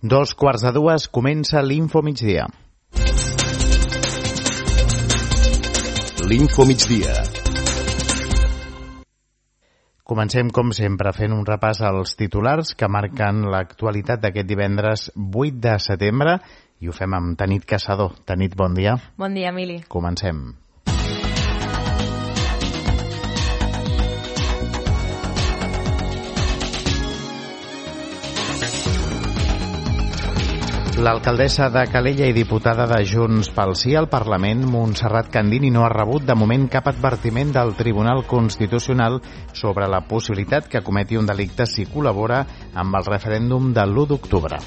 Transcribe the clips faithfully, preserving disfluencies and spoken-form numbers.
Dos quarts de dues comença l'Info Migdia. L'Info Migdia. Comencem, com sempre, fent un repàs als titulars que marquen l'actualitat d'aquest divendres vuit de setembre i ho fem amb Tanit Caçador. Tanit, bon dia. Bon dia, Emili. Comencem. L'alcaldessa de Calella i diputada de Junts pel Sí al Parlament, Montserrat Candini, no ha rebut de moment cap advertiment del Tribunal Constitucional sobre la possibilitat que cometi un delicte si col·labora amb el referèndum de l'u d'octubre.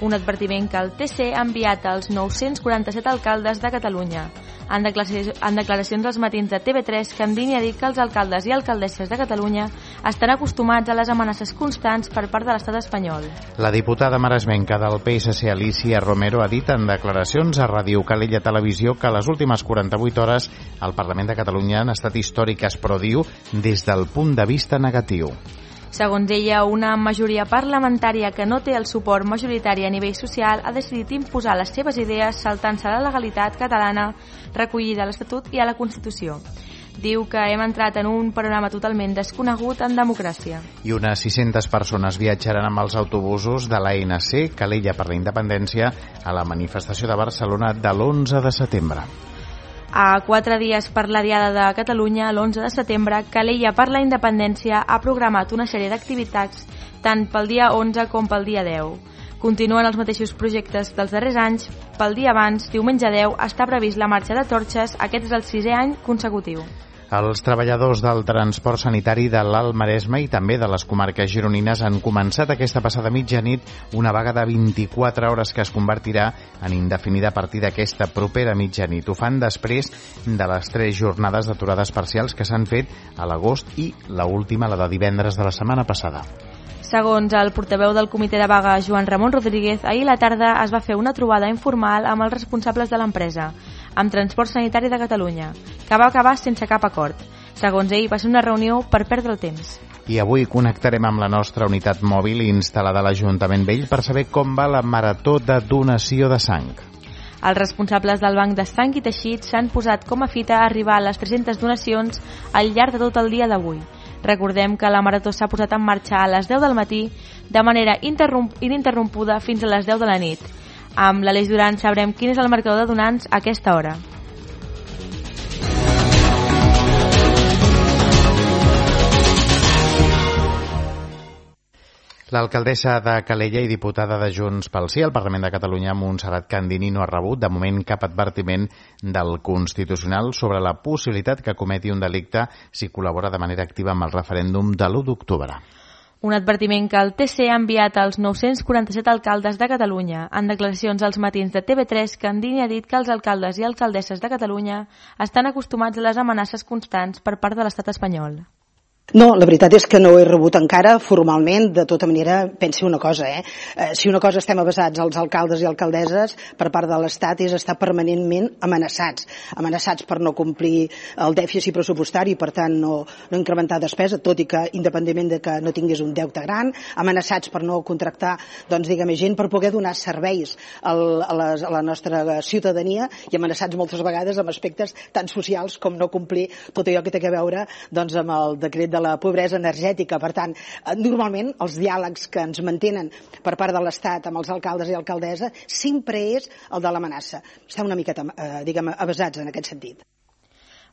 Un advertiment que el T C ha enviat als nou-cents quaranta-set alcaldes de Catalunya. En declaracions, en declaracions als matins de T V tres, Candini ha dit que els alcaldes i alcaldesses de Catalunya estan acostumats a les amenaces constants per part de l'estat espanyol. La diputada maresmenca del P S C, Alicia Romero, ha dit en declaracions a Ràdio Calella Televisió que les últimes quaranta-vuit hores al Parlament de Catalunya han estat històriques, però diu des del punt de vista negatiu. Segons ella, una majoria parlamentària que no té el suport majoritari a nivell social ha decidit imposar les seves idees saltant-se a la legalitat catalana recollida a l'Estatut i a la Constitució. Diu que hem entrat en un panorama totalment desconegut en democràcia. I unes sis-centes persones viatjaran amb els autobusos de l'A N C, Calella per la Independència, a la manifestació de Barcelona de l'onze de setembre. A quatre dies per la Diada de Catalunya, l'onze de setembre, Calella per la Independència ha programat una sèrie d'activitats tant pel dia onze com pel dia deu. Continuen els mateixos projectes dels darrers anys. Pel dia abans, diumenge deu, està previst la marxa de torxes. Aquest és el sisè any consecutiu. Els treballadors del transport sanitari de l'Alt Maresme i també de les comarques gironines han començat aquesta passada mitjanit una vaga de vint-i-quatre hores que es convertirà en indefinida a partir d'aquesta propera mitjanit. Ho fan després de les tres jornades d'aturades parcials que s'han fet a l'agost i la última, la de divendres de la setmana passada. Segons el portaveu del comitè de vaga, Joan Ramon Rodríguez, ahir a la tarda es va fer una trobada informal amb els responsables de l'empresa, amb Transport Sanitari de Catalunya, que va acabar sense cap acord. Segons ell, va ser una reunió per perdre el temps. I avui connectarem amb la nostra unitat mòbil instal·lada a l'Ajuntament Vell per saber com va la marató de donació de sang. Els responsables del Banc de Sang i Teixits s'han posat com a fita a arribar a les tres-centes donacions al llarg de tot el dia d'avui. Recordem que la marató s'ha posat en marxa a les deu del matí de manera ininterrompuda fins a les deu de la nit. Amb l'Aleix Duran sabrem quin és el marcador de donants a aquesta hora. L'alcaldessa de Calella i diputada de Junts pel Sí al Parlament de Catalunya, Montserrat Candini, no ha rebut de moment cap advertiment del Constitucional sobre la possibilitat que cometi un delicte si col·labora de manera activa amb el referèndum de l'u d'octubre. Un advertiment que el T C ha enviat als nou-cents quaranta-set alcaldes de Catalunya. En declaracions als matins de T V tres, Candini ha dit que els alcaldes i alcaldesses de Catalunya estan acostumats a les amenaces constants per part de l'estat espanyol. No, la veritat és que no ho he rebut encara formalment. De tota manera, pensi una cosa, eh? eh si una cosa estem avasats als alcaldes i alcaldesses per part de l'Estat és estar permanentment amenaçats. Amenaçats per no complir el dèficit pressupostari, per tant no, no incrementar despesa, tot i que independentment de que no tingués un deute gran, amenaçats per no contractar, doncs diguem, gent per poder donar serveis al, a, les, a la nostra ciutadania i amenaçats moltes vegades amb aspectes tan socials com no complir tot allò que té a veure doncs, amb el decret de de la pobresa energètica. Per tant, normalment els diàlegs que ens mantenen per part de l'Estat amb els alcaldes i alcaldessa sempre és el de l'amenaça. Estem una miqueta, eh, diguem, avasats en aquest sentit.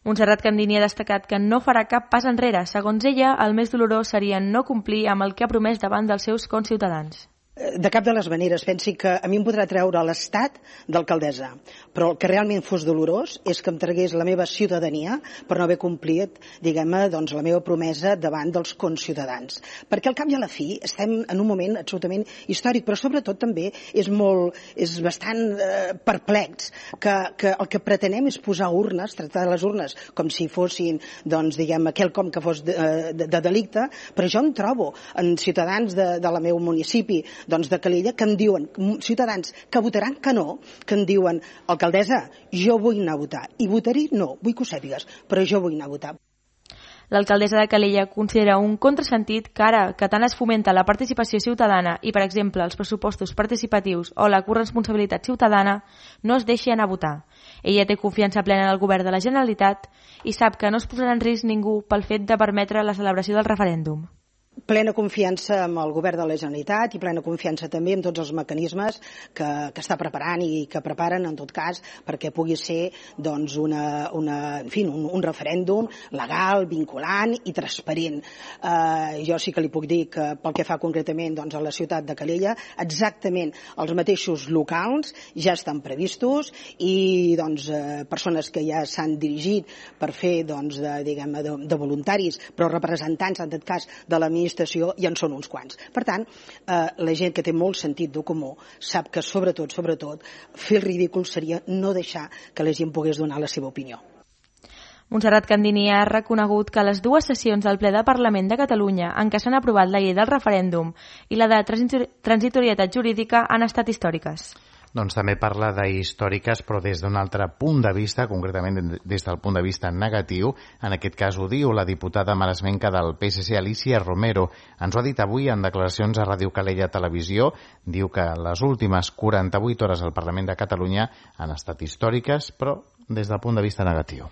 Montserrat Candini ha destacat que no farà cap pas enrere. Segons ella, el més dolorós seria no complir amb el que ha promès davant dels seus conciutadans. De cap de les maneres. Pensi que a mi em podrà treure l'estat d'alcaldessa, però el que realment fos dolorós és que em tragués la meva ciutadania per no haver complit, diguem-ne, doncs, la meva promesa davant dels conciutadans. Perquè al cap i a la fi estem en un moment absolutament històric, però sobretot també és molt, és bastant eh, perplex que, que el que pretenem és posar urnes, tractar les urnes com si fossin, doncs, diguem, quelcom que fos de, de, de delicte, però jo em trobo en ciutadans de, de la meu municipi, doncs de Calella, que em diuen, ciutadans que votaran que no, que em diuen, alcaldessa, jo vull anar a votar, i votaré no, vull que ho sàpigues, però jo vull anar a votar. L'alcaldessa de Calella considera un contrasentit que ara que tant es fomenta la participació ciutadana i, per exemple, els pressupostos participatius o la corresponsabilitat ciutadana, no es deixi anar a votar. Ella té confiança plena en el govern de la Generalitat i sap que no es posarà en risc ningú pel fet de permetre la celebració del referèndum. Plena confiança amb el govern de la Generalitat i plena confiança també en tots els mecanismes que, que està preparant i que preparen, en tot cas, perquè pugui ser doncs, una, una, en fi, un, un referèndum legal, vinculant i transparent. Eh, jo sí que li puc dir que pel que fa concretament doncs, a la ciutat de Calella, exactament els mateixos locals ja estan previstos i doncs, eh, persones que ja s'han dirigit per fer doncs, de, diguem, de, de voluntaris, però representants, en tot cas, de l'administració ja en són uns quants. Per tant, eh, la gent que té molt sentit de comú sap que sobretot, sobretot, fer el ridícul seria no deixar que la gent pogués donar la seva opinió. Montserrat Candini ha reconegut que les dues sessions del ple del Parlament de Catalunya en què s'han aprovat la llei del referèndum i la de transitorietat jurídica han estat històriques. Doncs també parla d'històriques, però des d'un altre punt de vista, concretament des del punt de vista negatiu. En aquest cas ho diu la diputada maresmenca del P S C, Alicia Romero. Ens ho ha dit avui en declaracions a Ràdio Calella Televisió. Diu que les últimes quaranta-vuit hores al Parlament de Catalunya han estat històriques, però des del punt de vista negatiu.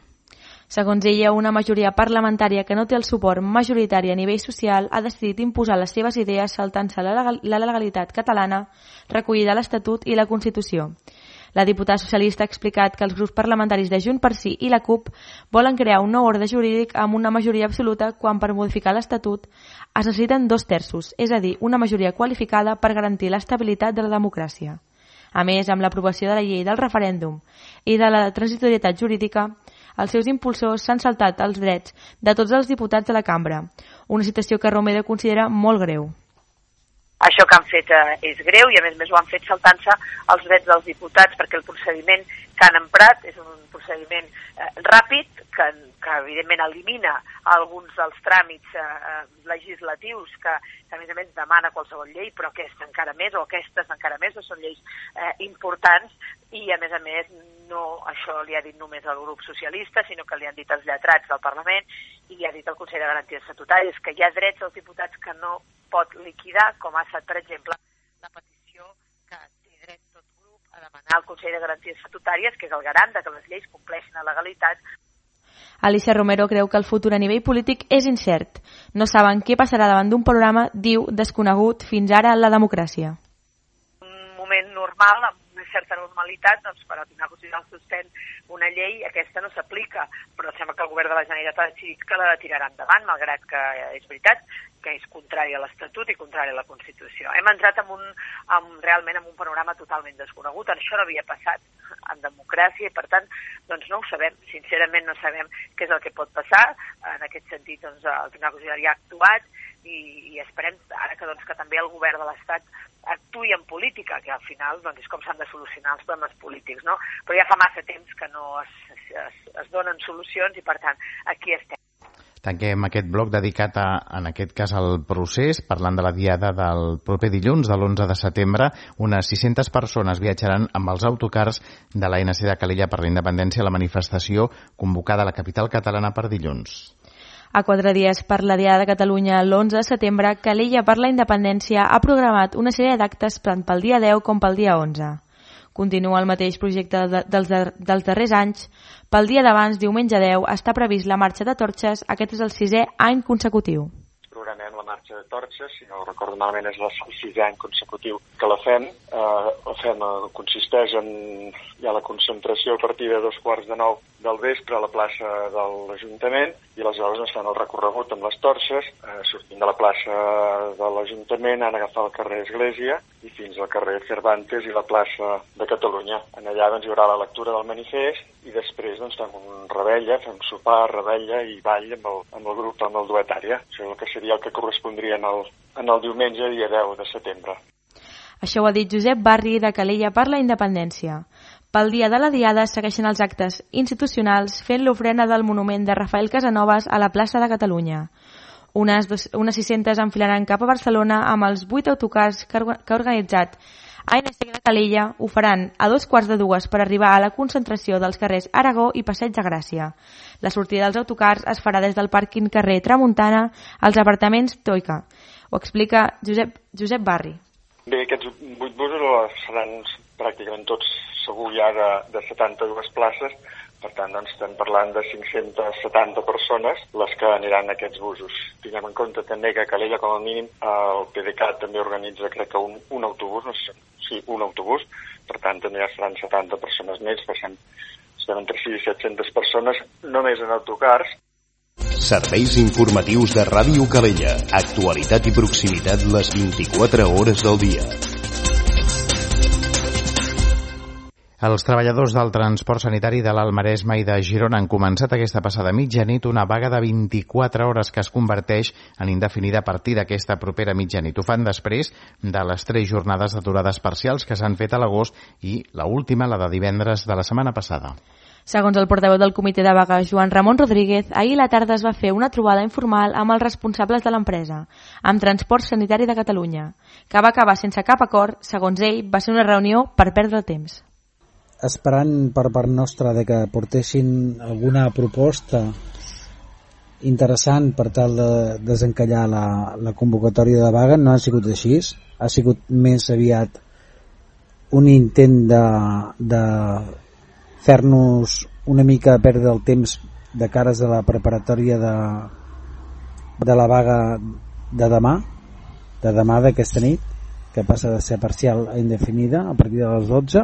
Segons ella, una majoria parlamentària que no té el suport majoritari a nivell social ha decidit imposar les seves idees saltant-se la legalitat catalana recollida a l'Estatut i la Constitució. La diputada socialista ha explicat que els grups parlamentaris de Junts per Sí i la CUP volen crear un nou ordre jurídic amb una majoria absoluta quan per modificar l'Estatut es necessiten dos terços, és a dir, una majoria qualificada per garantir l'estabilitat de la democràcia. A més, amb l'aprovació de la llei del referèndum i de la transitorietat jurídica, els seus impulsors s'han saltat els drets de tots els diputats de la cambra, una situació que Romero considera molt greu. Això que han fet eh, és greu i a més a més ho han fet saltant-se els drets dels diputats perquè el procediment que han emprat és un procediment eh, ràpid que, que evidentment elimina alguns dels tràmits eh, legislatius que, que a més a més demana qualsevol llei, però aquesta encara més o aquestes encara més, són lleis eh, importants i a més a més no això li ha dit només el grup socialista, sinó que li han dit els lletrats del Parlament i li ha dit el Consell de Garanties Estatutàries que hi ha drets dels diputats que no pot liquidar, com ha estat, per exemple, la petició que té dret tot grup a demanar al Consell de Garanties Estatutàries, que és el garant de que les lleis compleixin la legalitat. Alicia Romero creu que el futur a nivell polític és incert. No saben què passarà davant d'un programa, diu, desconegut fins ara en la democràcia. Un moment normal, amb una certa normalitat, doncs per al Tribunal Constitucional suspèn una llei, aquesta no s'aplica, però sembla que el govern de la Generalitat ha decidit que la tirarà endavant, malgrat que és veritat que és contrari a l'Estatut i contrari a la Constitució. Hem entrat en un, en, realment en un panorama totalment desconegut, això no havia passat en democràcia i per tant doncs no ho sabem, sincerament no sabem què és el que pot passar, en aquest sentit doncs, el Tribunal Constitucional ja ha actuat i, i esperem ara que, doncs, que també el govern de l'Estat actuï en política, que al final doncs, és com s'han de solucionar els problemes polítics, no? Però ja fa massa temps que no es, es, es donen solucions i per tant aquí estem. Tanquem aquest bloc dedicat, a, en aquest cas, al procés, parlant de la diada del proper dilluns, de l'onze de setembre. Unes sis-centes persones viatjaran amb els autocars de l'A N C de Calella per la Independència a la manifestació convocada a la capital catalana per dilluns. A quatre dies per la Diada de Catalunya, l'onze de setembre, Calella per la Independència ha programat una sèrie d'actes tant pel dia deu com pel dia onze. Continua el mateix projecte dels, dels darrers anys. Pel dia d'abans, diumenge deu, està previst la marxa de torxes. Aquest és el sisè any consecutiu. Programem la marxa de torxes, si no recordo malament és el sisè any consecutiu que la fem. Eh, la fem eh, consisteix en hi ha la concentració a partir de dos quarts de nou del vespre a la plaça de l'Ajuntament i aleshores ens fan el recorregut amb les torxes, eh, sortint de la plaça de l'Ajuntament, han agafat el carrer Església i fins al carrer Cervantes i la plaça de Catalunya. En allà doncs, hi haurà la lectura del manifest i després doncs, fem un rebella, fem sopar, rebella i ball amb el, amb el grup, amb el duetària. Això és el que seria el que correspondria en el, en el diumenge, dia deu de setembre. Això ho ha dit Josep Barri, de Calella per la Independència. Pel dia de la Diada segueixen els actes institucionals fent l'ofrena del monument de Rafael Casanovas a la plaça de Catalunya. Unes, dos, unes sis-centes enfilaran cap a Barcelona amb els vuit autocars que ha organitzat A N S de Calella ho faran a dos quarts de dues per arribar a la concentració dels carrers Aragó i Passeig de Gràcia. La sortida dels autocars es farà des del pàrquing carrer Tramuntana als apartaments Toica. Ho explica Josep, Josep Barri. Bé, aquests vuit busos seran pràcticament tots segur ja de, de setanta-dues places, per tant doncs, estem parlant de cinc-centes setanta persones les que aniran a aquests busos. Tinguem en compte també que a Calella, com a mínim, el P D C A T també organitza, crec que un, un autobús, no sé, sí, un autobús, per tant també ja seran setanta persones més, passem, estem entre sis i set-centes persones només en autocars. Serveis informatius de Ràdio Calella. Actualitat i proximitat les vint-i-quatre hores del dia. Els treballadors del transport sanitari de l'Alt Maresme i de Girona han començat aquesta passada mitjanit una vaga de vint-i-quatre hores que es converteix en indefinida a partir d'aquesta propera mitjanit. Ho fan després de les tres jornades d'aturades parcials que s'han fet a l'agost i la última, la de divendres de la setmana passada. Segons el portaveu del comitè de vaga, Joan Ramon Rodríguez, ahir a la tarda es va fer una trobada informal amb els responsables de l'empresa, amb Transport Sanitari de Catalunya, que va acabar sense cap acord. Segons ell, va ser una reunió per perdre el temps. Esperant per part nostra de que portessin alguna proposta interessant per tal de desencallar la, la convocatòria de vaga, no ha sigut així. Ha sigut més aviat un intent de, de fer-nos una mica perdre el temps de cares a la preparatòria de, de la vaga de demà, de demà d'aquesta nit, que passa de ser parcial a indefinida a partir de les dotze.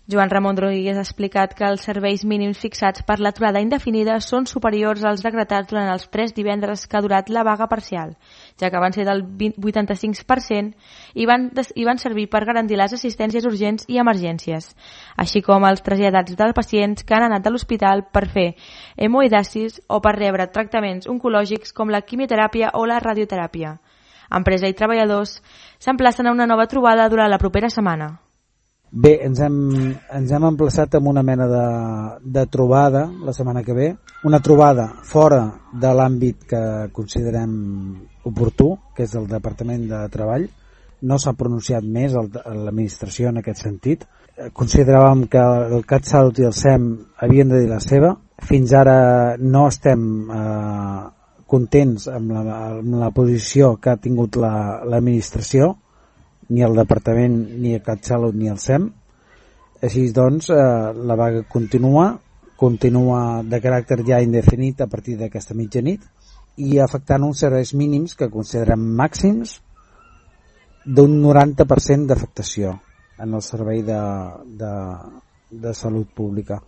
Joan Ramon Rodríguez ha explicat que els serveis mínims fixats per l'aturada indefinida són superiors als decretats durant els tres divendres que ha durat la vaga parcial, ja que van ser del vuitanta-cinc per cent i van, i van servir per garantir les assistències urgents i emergències, així com els traslladats dels pacients que han anat a l'hospital per fer hemodiàlisis o per rebre tractaments oncològics com la quimioteràpia o la radioteràpia. Empresa i treballadors s'emplacen a una nova trobada durant la propera setmana. Bé, ens hem, ens hem emplaçat amb una mena de, de trobada la setmana que ve, una trobada fora de l'àmbit que considerem oportú, que és el Departament de Treball. No s'ha pronunciat més l'administració en aquest sentit. Consideràvem que el CatSalut i el S E M havien de dir la seva. Fins ara no estem eh, contents amb la, amb la posició que ha tingut la, l'administració, ni el Departament, ni el CatSalut, ni el S E M. Així doncs, eh, la vaga continua, continua de caràcter ja indefinit a partir d'aquesta mitjanit i afectant uns serveis mínims que considerem màxims d'un noranta per cent d'afectació en el servei de, de, de salut pública.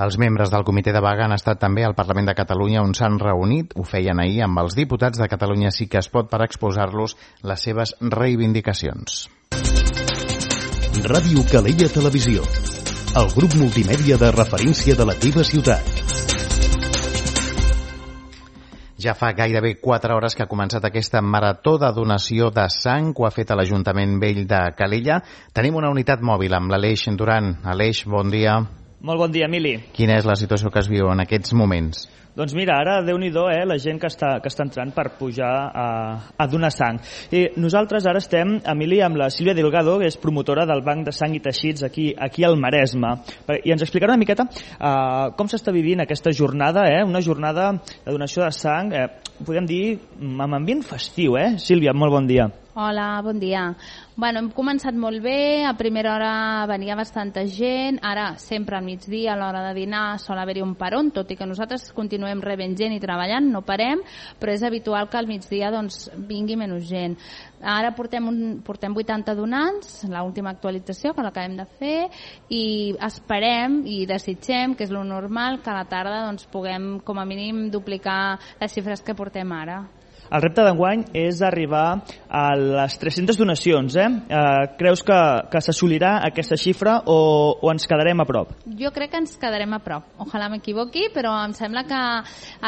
Els membres del comitè de vaga han estat també al Parlament de Catalunya, on s'han reunit, ho feien ahir, amb els diputats de Catalunya Sí que es pot per exposar-los les seves reivindicacions. Ràdio Calella Televisió, el grup multimèdia de referència de la teva ciutat. Ja fa gairebé quatre hores que ha començat aquesta marató de donació de sang que ha fet a l'Ajuntament Vell de Calella. Tenim una unitat mòbil amb l'Aleix Duran. Aleix, bon dia. Molt bon dia, Emili. Quina és la situació que es viu en aquests moments? Doncs mira, ara, Déu-n'hi-do, eh, la gent que està, que està entrant per pujar a, a donar sang. I nosaltres ara estem, Emili, amb la Sílvia Delgado, que és promotora del Banc de Sang i Teixits aquí, aquí al Maresme. I ens explicarà una miqueta uh, com s'està vivint aquesta jornada, eh, una jornada de donació de sang, eh, podem dir, amb ambient festiu, eh? Sílvia, molt bon dia. Hola, bon dia. Bueno, hem començat molt bé, a primera hora venia bastanta gent, ara sempre al migdia a l'hora de dinar sol haver-hi un peron, tot i que nosaltres continuem rebent gent i treballant, no parem, però és habitual que al migdia doncs, vingui menys gent. Ara portem, un, portem vuitanta donants, l'última actualització que l'acabem de fer, i esperem i desitgem, que és lo normal, que a la tarda doncs, puguem com a mínim duplicar les xifres que portem ara. El repte d'enguany és arribar a les tres-centes donacions. Eh? Eh, creus que, que s'assolirà aquesta xifra o, o ens quedarem a prop? Jo crec que ens quedarem a prop. Ojalà m'equivoqui, però em sembla que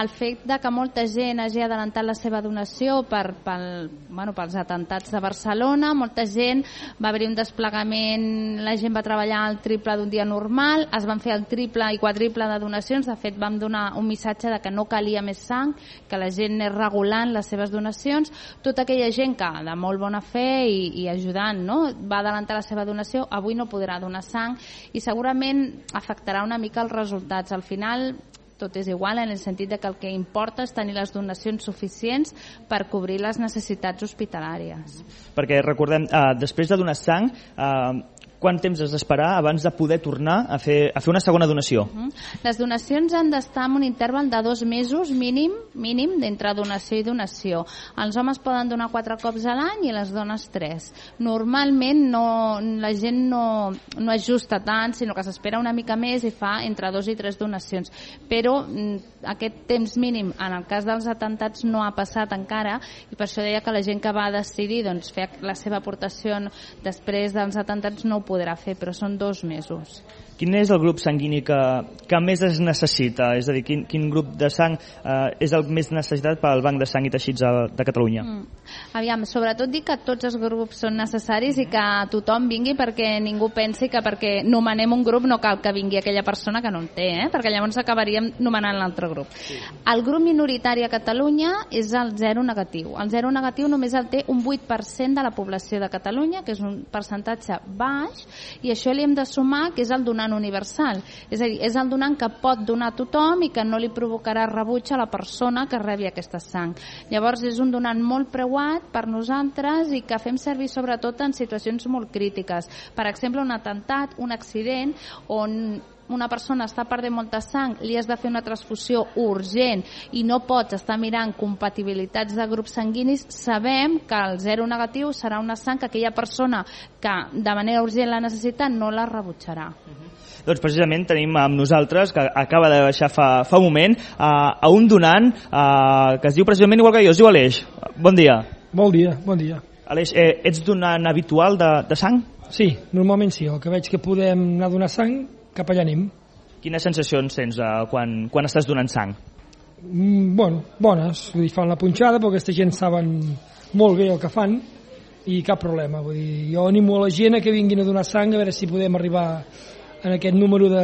el fet de que molta gent hagi adelantat la seva donació per, pel, bueno, pels atentats de Barcelona, molta gent, va haver-hi un desplegament, la gent va treballar al triple d'un dia normal, es van fer el triple i quadriple de donacions, de fet vam donar un missatge de que no calia més sang, que la gent és regulant les seves donacions. Tota aquella gent que de molt bona fe i, i ajudant, no? Va adelantar la seva donació, avui no podrà donar sang i segurament afectarà una mica els resultats. Al final tot és igual en el sentit de que el que importa és tenir les donacions suficients per cobrir les necessitats hospitalàries. Perquè recordem, eh, després de donar sang, eh, quant temps has d'esperar abans de poder tornar a fer, a fer una segona donació? Uh-huh. Les donacions han d'estar en un interval de dos mesos mínim, mínim d'entre donació i donació. Els homes poden donar quatre cops a l'any i les dones tres. Normalment no, la gent no, no ajusta tant, sinó que s'espera una mica més i fa entre dos i tres donacions. Però aquest temps mínim en el cas dels atemptats no ha passat encara i per això deia que la gent que va decidir doncs, fer la seva aportació després dels atemptats no ho podrà fer, però són dos mesos. Quin és el grup sanguini que, que més es necessita? És a dir, quin, quin grup de sang eh, és el més necessitat pel Banc de Sang i Teixits de Catalunya? Mm. Aviam, sobretot dic que tots els grups són necessaris i que tothom vingui perquè ningú pensi que perquè nomenem un grup no cal que vingui aquella persona que no en té, eh? Perquè llavors acabaríem nomenant l'altre grup. Sí. El grup minoritari a Catalunya és el zero negatiu. El zero negatiu només el té un vuit per cent de la població de Catalunya, que és un percentatge baix, i això li hem de sumar que és el donant universal, és a dir, és el donant que pot donar a tothom i que no li provocarà rebuig a la persona que rebi aquesta sang. Llavors és un donant molt preuat per nosaltres i que fem servir sobretot en situacions molt crítiques. Per exemple, un atemptat, un accident on una persona està perdent molta sang, li has de fer una transfusió urgent i no pots estar mirant compatibilitats de grups sanguinis, sabem que el zero negatiu serà una sang que aquella persona que de manera urgent la necessita no la rebutjarà. Uh-huh. Doncs precisament tenim amb nosaltres, que acaba de baixar fa, fa un moment, a, a un donant a, que es diu precisament igual que jo, es diu Aleix. Bon dia. Bon dia, bon dia. Aleix, eh, ets donant habitual de, de sang? Sí, normalment sí. El que veig que podem anar a donar sang, cap allà anem. Quines sensacions tens eh, quan, quan estàs donant sang? Mm, bueno, bones. Vull dir, fan la punxada, però aquesta gent saben molt bé el que fan i cap problema. Vull dir, jo animo a la gent a que vinguin a donar sang a veure si podem arribar en aquest número de,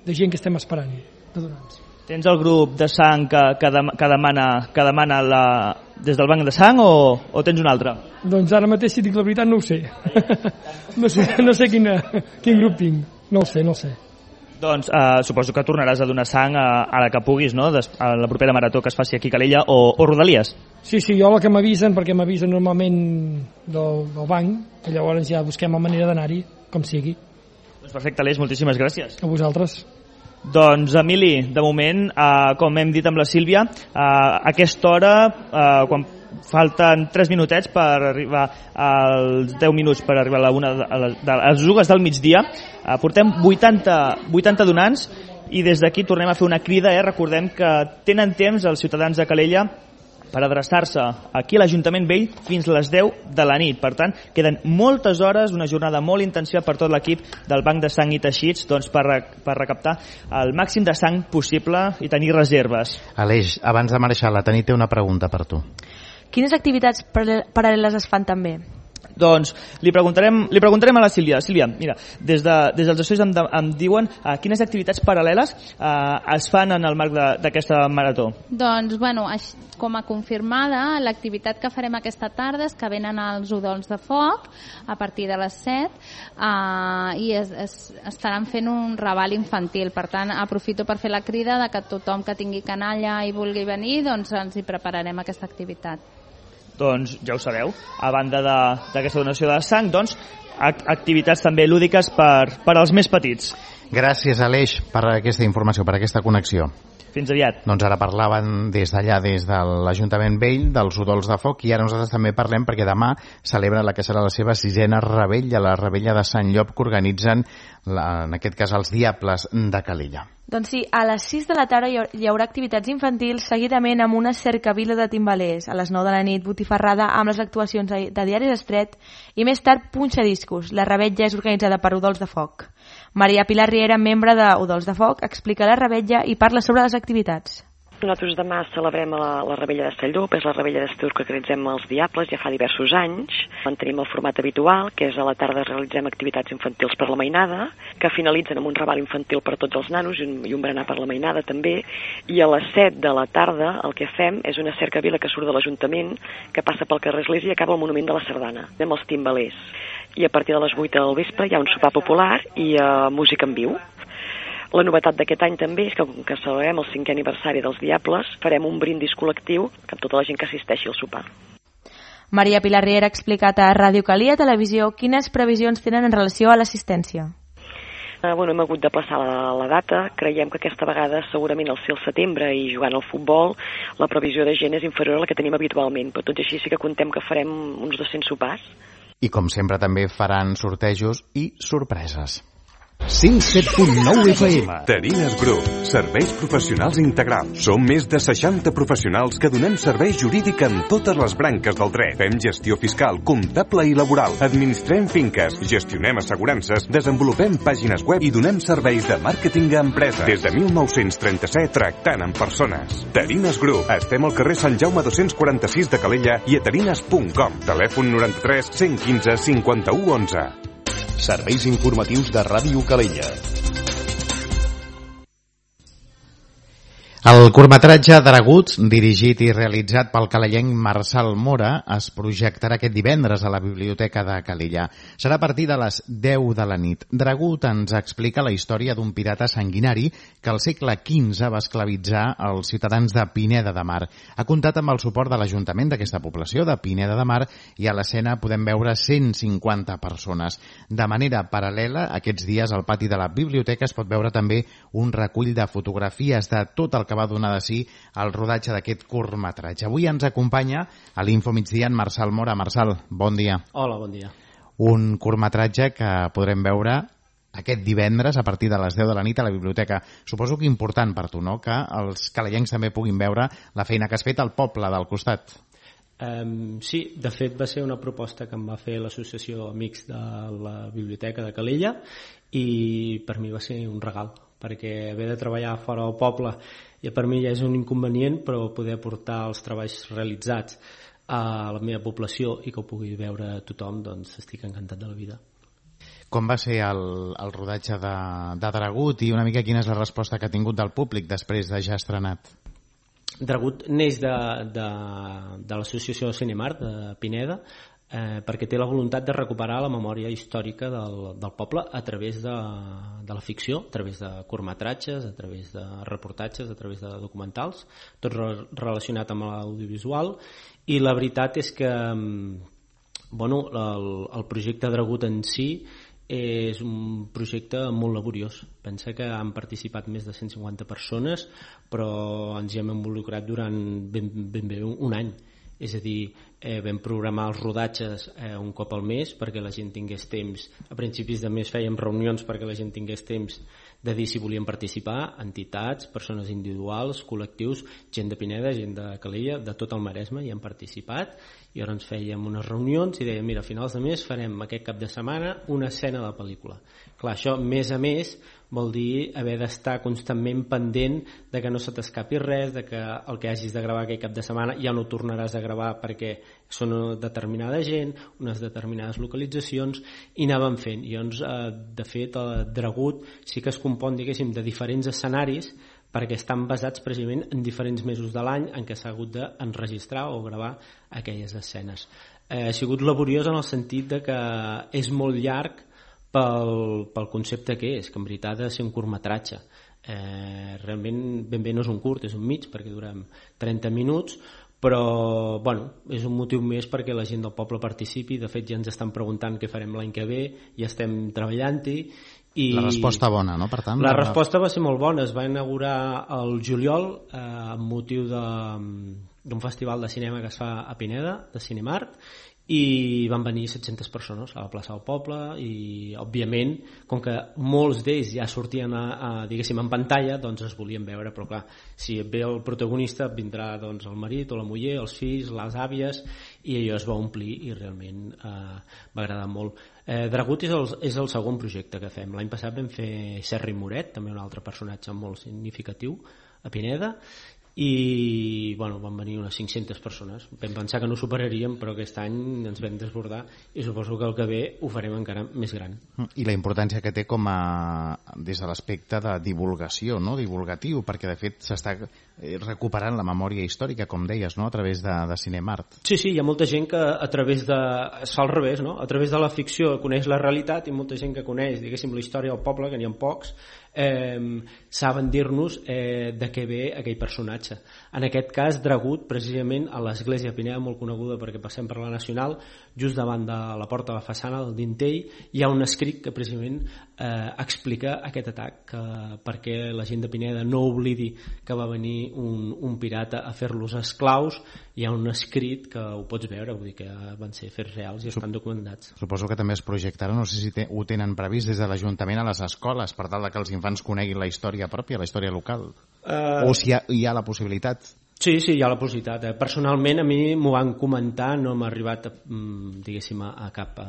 de gent que estem esperant de donants. Tens el grup de sang que, que, de, que demana, que demana la, des del banc de sang o, o tens un altre? Doncs ara mateix, si dic la veritat, no ho sé. no sé, no sé quina, quin grup tinc. No ho sé, no ho sé. Doncs eh, suposo que tornaràs a donar sang a, a la que puguis, no? Des, a la propera marató que es faci aquí a Calella o, o Rodalies. Sí, sí, jo la que m'avisen, perquè m'avisen normalment del, del banc, que llavors ja busquem la manera d'anar-hi, com sigui. Doncs perfecte, Aleix, moltíssimes gràcies. A vosaltres. Doncs, Emili, de moment, eh, com hem dit amb la Sílvia, eh, a aquesta hora, eh, quan falten tres minutets per arribar als deu minuts per arribar a, la una de, a, la, de, a les dues del migdia, eh, portem vuitanta, vuitanta donants i des d'aquí tornem a fer una crida. Eh? Recordem que tenen temps els ciutadans de Calella per adreçar-se aquí a l'Ajuntament Vell fins a les deu de la nit. Per tant, queden moltes hores, una jornada molt intensiva per tot l'equip del Banc de Sang i Teixits doncs, per, per recaptar el màxim de sang possible i tenir reserves. Aleix, abans de marxar, la Tanit té una pregunta per tu. Quines activitats paral·leles es fan també? Doncs li preguntarem, li preguntarem a la Sílvia. Sílvia, mira, des, de, des dels estudis em, de, em diuen uh, quines activitats paral·leles uh, es fan en el marc d'aquesta marató. Doncs, bueno, com a confirmada, l'activitat que farem aquesta tarda és que venen els udols de foc a partir de les set uh, i es, es, estaran fent un raval infantil. Per tant, aprofito per fer la crida de que tothom que tingui canalla i vulgui venir, doncs ens hi prepararem aquesta activitat. Doncs ja ho sabeu, a banda d'aquesta donació de sang, doncs, activitats també lúdiques per, per als més petits. Gràcies, Aleix, per aquesta informació, per aquesta connexió. Fins aviat. Doncs ara parlaven des d'allà, des de l'Ajuntament Vell, dels udols de foc, i ara nosaltres també parlem perquè demà celebra la que serà la seva sisena rebella, la rebella de Sant Llop, que organitzen, la, en aquest cas, els Diables de Calella. Doncs sí, a les sis de la tarda hi haurà activitats infantils seguidament amb una cercavila de timbalers. A les nou de la nit, botifarrada amb les actuacions de Diaris Estret i més tard punxadiscos. La rebetlla és organitzada per Udols de Foc. Maria Pilar Riera, membre de Udols de Foc, explica la rebetlla i parla sobre les activitats. Nosaltres demà celebrem la, la Rebella de Salllop, és la Rebella d'estiu que organitzem els Diables ja fa diversos anys. Mantenim el format habitual, que és a la tarda realitzem activitats infantils per la mainada, que finalitzen amb un raval infantil per tots els nanos i un, i un berenar per la mainada també, i a les set de la tarda el que fem és una cercavila que surt de l'Ajuntament, que passa pel carrer Església i acaba al Monument de la Sardana, amb els timbalers. I a partir de les vuit del vespre hi ha un sopar popular i uh, música en viu. La novetat d'aquest any també és que, com que celebrem el cinquè aniversari dels Diables, farem un brindis col·lectiu amb tota la gent que assisteixi al sopar. Maria Pilar Riera ha explicat a Ràdio Calia Televisió quines previsions tenen en relació a l'assistència. Uh, bueno, hem hagut de plaçar la, la data. Creiem que aquesta vegada, segurament al ser el setembre i jugant al futbol, la previsió de gent és inferior a la que tenim habitualment, però tot i així sí que contem que farem uns dos-cents sopars. I com sempre també faran sortejos i sorpreses. cent set punt nou F M. Terines Group, serveis professionals integrals. Som més de seixanta professionals que donem servei jurídic en totes les branques del dret. Fem gestió fiscal, comptable i laboral. Administrem finques, gestionem assegurances, desenvolupem pàgines web i donem serveis de màrqueting a empreses. Des de mil nou-cents trenta-set, tractant amb persones. Terines Group. Estem al carrer Sant Jaume dos-cents quaranta-sis de Calella i a terines punt com. Telèfon noranta-tres cent quinze cinquanta-u onze. Serveis informatius de Ràdio Calella. El curtmetratge Dragut, dirigit i realitzat pel calellenc Marçal Mora, es projectarà aquest divendres a la Biblioteca de Calella. Serà a partir de les deu de la nit. Dragut ens explica la història d'un pirata sanguinari que al segle quinze va esclavitzar els ciutadans de Pineda de Mar. Ha comptat amb el suport de l'Ajuntament d'aquesta població, de Pineda de Mar, i a l'escena podem veure cent cinquanta persones. De manera paral·lela, aquests dies al pati de la biblioteca es pot veure també un recull de fotografies de tot el que va donar de si el rodatge d'aquest curtmetratge. Avui ens acompanya a l'Info Migdia en Marçal Mora. Marçal, bon dia. Hola, bon dia. Un curtmetratge que podrem veure aquest divendres a partir de les deu de la nit a la biblioteca. Suposo que important per tu, no?, que els calellencs també puguin veure la feina que has fet al poble del costat. Um, sí, de fet va ser una proposta que em va fer l'associació Amics de la Biblioteca de Calella i per mi va ser un regal, perquè haver de treballar fora del poble ja per mi ja és un inconvenient, però poder portar els treballs realitzats a la meva població i que ho pugui veure tothom, doncs estic encantat de la vida. Com va ser el, el rodatge de, de Dragut i una mica quina és la resposta que ha tingut del públic després de ja estrenat? Dragut neix de, de, de l'associació Cinemart de Pineda, eh, perquè té la voluntat de recuperar la memòria històrica del, del poble a través de, de la ficció, a través de curtmetratges, a través de reportatges, a través de documentals, tot re, relacionat amb l'audiovisual. I la veritat és que bueno, el, el projecte Dragut en si és un projecte molt laboriós. Pensa que han participat més de cent cinquanta persones, però ens hi hem involucrat durant ben, ben bé un any. És a dir, eh, vam programar els rodatges eh, un cop al mes perquè la gent tingués temps. A principis de mes fèiem reunions perquè la gent tingués temps de dir si volien participar, entitats, persones individuals, col·lectius, gent de Pineda, gent de Calella, de tot el Maresme hi han participat, i ara ens fèiem unes reunions i dèiem, mira, a finals de mes farem aquest cap de setmana una escena de pel·lícula. Clar, això, més a més, vol dir haver d'estar constantment pendent de que no se t'escapi res, de que el que hagis de gravar aquest cap de setmana ja no tornaràs a gravar perquè són una determinada gent, unes determinades localitzacions, i anàvem fent. I llavors, eh, de fet, el Dragut sí que es compon, diguéssim, de diferents escenaris perquè estan basats precisament en diferents mesos de l'any en què s'ha hagut d'enregistrar o gravar aquelles escenes. Eh, ha sigut laboriós en el sentit de que és molt llarg pel, pel concepte que és, que en veritat ha de ser un curtmetratge. Eh, realment ben bé no és un curt, és un mig, perquè durem trenta minuts, però bueno, és un motiu més perquè la gent del poble participi. De fet ja ens estan preguntant què farem l'any que ve, ja estem treballant-hi. I la resposta bona, no? Per tant, la resposta va ser molt bona. Es va inaugurar el juliol eh, amb motiu de, d'un festival de cinema que es fa a Pineda, de Cinemart, i van venir set-centes persones a la plaça del poble i òbviament com que molts d'ells ja sortien a, a, diguéssim, en pantalla, doncs es volien veure, però clar, si ve el protagonista vindrà doncs el marit o la muller, els fills, les àvies, i allò es va omplir i realment eh, va agradar molt. eh, Dragut és el, és el segon projecte que fem. L'any passat vam fer Serra i Moret, també un altre personatge molt significatiu a Pineda, i bueno, van venir unes cinc-centes persones. Vam pensar que no superaríem, però aquest any ens vam desbordar i suposo que el que ve ho farem encara més gran. I la importància que té com a des de l'aspecte de divulgació, no? Divulgatiu, perquè de fet s'està recuperant la memòria històrica, com deies, no? A través de, de Cinemart. Sí, sí, hi ha molta gent que a través de... es fa al revés, no? A través de la ficció coneix la realitat i molta gent que coneix, diguéssim, la història del poble, que n'hi ha pocs, eh, saben dir-nos eh, de què ve aquell personatge. En aquest cas, Dragut, precisament a l'església de Pineda, molt coneguda perquè passem per la Nacional, just davant de la porta de la façana del Dintell, hi ha un escrit que precisament eh, explica aquest atac, que, perquè la gent de Pineda no oblidi que va venir un, un pirata a fer-los esclaus. Hi ha un escrit que ho pots veure, vull dir que van ser fets reals i estan documentats. Suposo que també es projectarà, no sé si te, ho tenen previst des de l'Ajuntament a les escoles, per tal de que els infants coneguin la història pròpia, la història local, uh... o si hi ha, hi ha la possibilitat. Sí, sí, hi ha la possibilitat. Eh? Personalment a mi m'ho van comentar, no m'ha arribat a, diguéssim, a cap a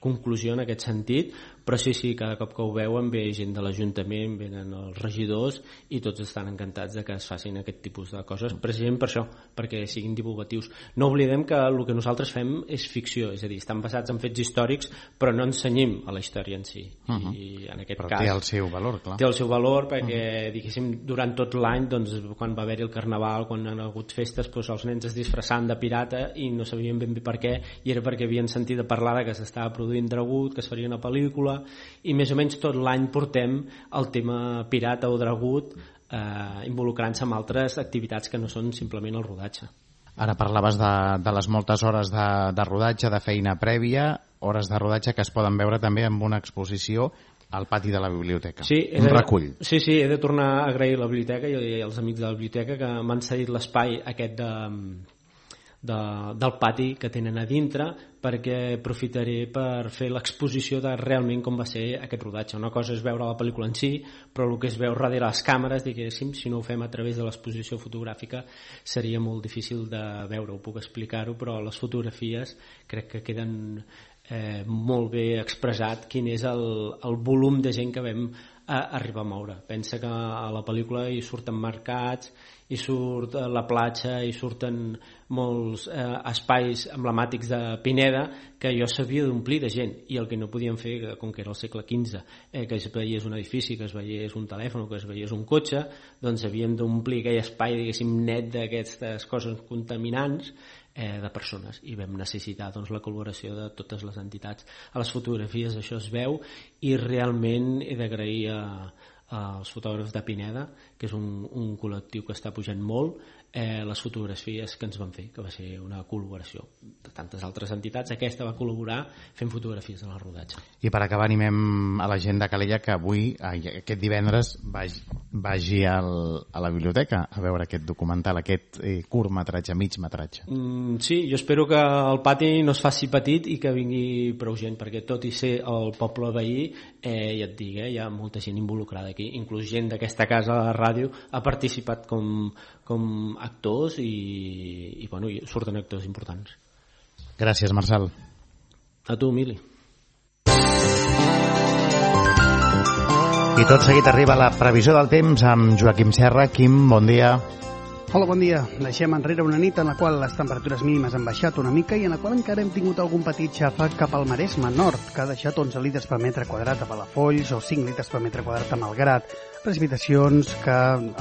conclusió en aquest sentit, però sí, sí, cada cop que ho veuen ve gent de l'Ajuntament, venen els regidors i tots estan encantats de que es facin aquest tipus de coses, precisament per això, perquè siguin divulgatius. No oblidem que el que nosaltres fem és ficció, és a dir, estan basats en fets històrics, però no ensenyem a la història en si. Uh-huh. I en aquest però cas... té el seu valor, clar. Té el seu valor perquè, uh-huh. diguéssim, durant tot l'any, doncs, quan va haver-hi el Carnaval, quan han hagut festes, doncs, els nens es disfressaven de pirata i no sabien ben bé per què, i era perquè havien sentit a parlar de que s'estava produint Dragut, que es faria una pel·lícula, i més o menys tot l'any portem el tema pirata o Dragut eh, involucrant-se en altres activitats que no són simplement el rodatge. Ara parlaves de, de les moltes hores de, de rodatge, de feina prèvia, hores de rodatge que es poden veure també amb una exposició al pati de la biblioteca. Sí, un de, recull. Sí, sí, he de tornar a agrair a la biblioteca i als amics de la biblioteca que m'han cedit l'espai aquest de... De, del pati que tenen a dintre, perquè aprofitaré per fer l'exposició de realment com va ser aquest rodatge. Una cosa és veure la pel·lícula en si, però el que es veu darrere les càmeres, diguéssim, si no ho fem a través de l'exposició fotogràfica seria molt difícil de veure, ho puc explicar-ho, però les fotografies crec que queden eh, molt bé expressat quin és el, el volum de gent que vam a arribar a moure. Pensa que a la pel·lícula hi surten mercats, hi surt la platja, hi surten molts eh, espais emblemàtics de Pineda que jo s'havia d'omplir de gent, i el que no podíem fer, com que era el segle quinze, eh, que es veiés un edifici, que es veiés un telèfon, que es veiés un cotxe, doncs havíem d'omplir aquell espai, diguéssim, net d'aquestes coses contaminants eh, de persones, i vam necessitar doncs, la col·laboració de totes les entitats. A les fotografies això es veu, i realment he d'agrair a als fotògrafs de Pineda, que és un, un col·lectiu que està pujant molt, eh, les fotografies que ens van fer, que va ser una col·laboració de tantes altres entitats. Aquesta va col·laborar fent fotografies en el rodatge. I per acabar animem a la gent de Calella que avui, aquest divendres, vagi, vagi al, a la biblioteca a veure aquest documental, aquest eh, curtmetratge, mig metratge. Mm, sí, jo espero que el pati no es faci petit i que vingui prou gent, perquè tot i ser el poble veí, eh, ja et dic, eh, hi ha molta gent involucrada aquí, inclús gent d'aquesta casa de la ràdio ha participat com, com actors i, i, bueno, i surten actors importants. Gràcies, Marçal. A tu, Mili. I tot seguit arriba la previsió del temps amb Joaquim Serra. Quim, bon dia. Hola, bon dia. Deixem enrere una nit en la qual les temperatures mínimes han baixat una mica i en la qual encara hem tingut algun petit xàfec cap al Maresme Nord, que ha deixat onze litres per metre quadrat a Palafolls o cinc litres per metre quadrat a Malgrat. Precipitacions que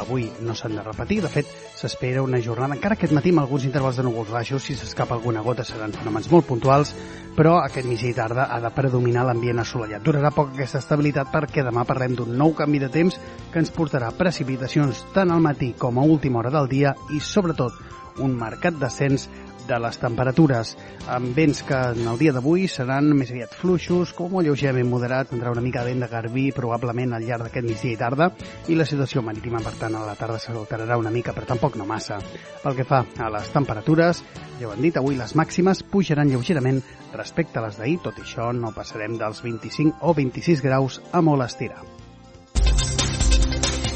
avui no s'han de repetir. De fet, s'espera una jornada, encara aquest matí amb alguns intervals de núvols baixos, si s'escapa alguna gota seran fenòmens molt puntuals, però aquest migdia i tarda ha de predominar l'ambient assolellat. Durarà poc aquesta estabilitat perquè demà parlem d'un nou canvi de temps que ens portarà precipitacions tant al matí com a última hora del dia i, sobretot, un marcat descens de les temperatures, amb vents que en el dia d'avui seran més aviat fluixos, com molt lleugerament moderat, tindrà una mica de vent de garbí probablement al llarg d'aquest migdia i tarda, i la situació marítima, per tant, a la tarda s'alterarà una mica, però tampoc no massa. Pel que fa a les temperatures, ja ho hem dit, avui les màximes pujaran lleugerament respecte a les d'ahir, tot i això no passarem dels vint-i-cinc o vint-i-sis graus a molt estirar.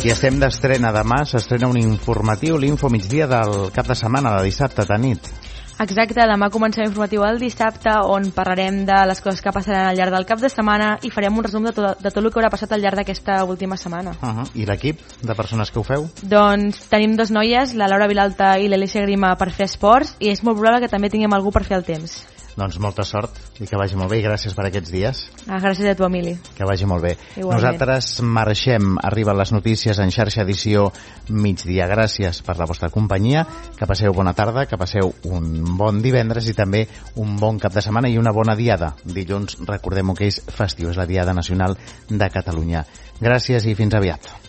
I estem d'estrena demà, s'estrena un informatiu, l'Info Migdia del cap de setmana, de dissabte de nit. Exacte, demà comencem informatiu el dissabte, on parlarem de les coses que passaran al llarg del cap de setmana i farem un resum de tot, de tot el que haurà passat al llarg d'aquesta última setmana. Uh -huh. I l'equip de persones que ho feu? Doncs tenim dos noies, la Laura Vilalta i l'Alícia Grima, per fer esports, i és molt probable que també tinguem algú per fer el temps. Doncs molta sort i que vagi molt bé, i gràcies per aquests dies. Ah, gràcies a tu, Emili. Que vagi molt bé. Igualment. Nosaltres marxem, arriben les notícies en xarxa edició migdia. Gràcies per la vostra companyia, que passeu bona tarda, que passeu un bon divendres i també un bon cap de setmana i una bona diada. Dilluns, recordem-ho que és festiu, és la Diada Nacional de Catalunya. Gràcies i fins aviat.